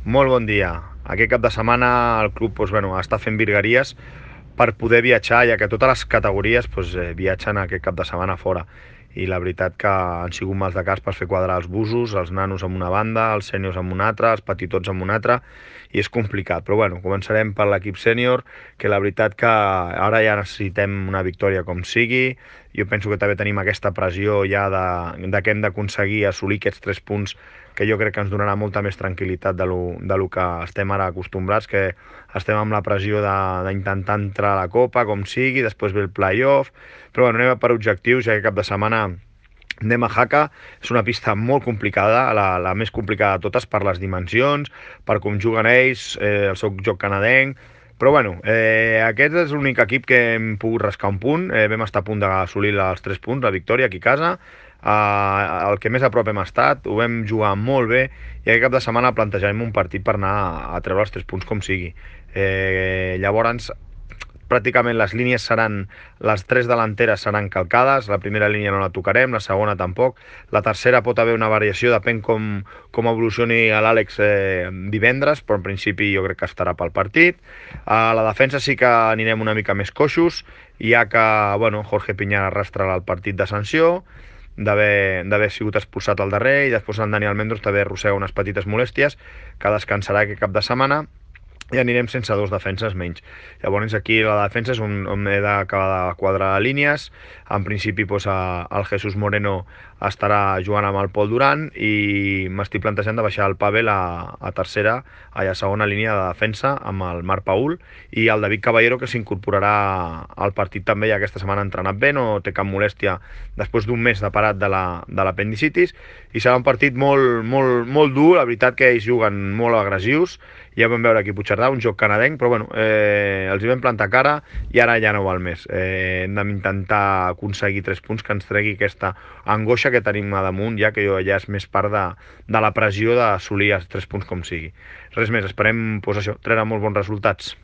Molt bon dia. Aquest cap de setmana el club està fent virgueries per poder viatjar, ja que totes les categories viatgen aquest cap de setmana fora. I la veritat que han sigut mals de cas per fer quadrar els busos, els nanos amb una banda, els sèniors amb una altra, els petitots amb una altra, i és complicat. Però començarem per l'equip sènior, que la veritat que ara ja necessitem una victòria com sigui. Jo penso que també tenim aquesta pressió ja de que hem d'aconseguir assolir aquests 3 punts, que jo crec que ens donarà molta més tranquil·litat de lo que estem ara acostumbrats, que estem amb la pressió d'intentar entrar a la Copa, com sigui, després ve el play-off, però anem per objectius, ja que cap de setmana anem a Jaca. És una pista molt complicada, la més complicada de totes per les dimensions, per com juguen ells, el seu joc canadenc, però aquest és l'únic equip que hem pogut rascar un punt. Vam estar a punt d'assolir els 3 punts, la victòria aquí a casa. El que més a prop hem estat, ho vam jugar molt bé, i aquest cap de setmana plantejarem un partit per anar a treure els 3 punts com sigui. Llavors, pràcticament les línies seran, les 3 delanteres seran calcades, la primera línia no la tocarem, la segona tampoc, la tercera pot haver una variació, depèn com evolucioni l'Àlex divendres, però en principi jo crec que estarà pel partit. A la defensa sí que anirem una mica més coixos, ja que Jorge Piñar arrastra el partit de sanció, d'haver sigut expulsat al darrer, i després en Dani Almendros també arrossega unes petites molèsties, que descansarà aquest cap de setmana, i anirem sense 2 defenses menys. Llavors aquí la defensa és on he d'acabar de quadrar línies. En principi el Jesús Moreno estarà jugant amb el Pol Duran, i m'estic plantejant de baixar el Pavel a tercera, a segona línia de defensa amb el Marc Paul, i el David Caballero, que s'incorporarà al partit també, ja aquesta setmana ha entrenat bé, no té cap molèstia després d'un mes de parat de l'apendicitis, i serà un partit molt dur. La veritat que ells juguen molt agressius, ja vam veure aquí Puigcerdà, un joc canadenc, però els hi vam plantar cara, i ara ja no val més. Hem d'intentar aconseguir 3 punts que ens tregui aquesta angoixa que tenim a damunt, ja que ja és més part de la pressió d'assolir els 3 punts com sigui. Res més, esperem treure molts bons resultats.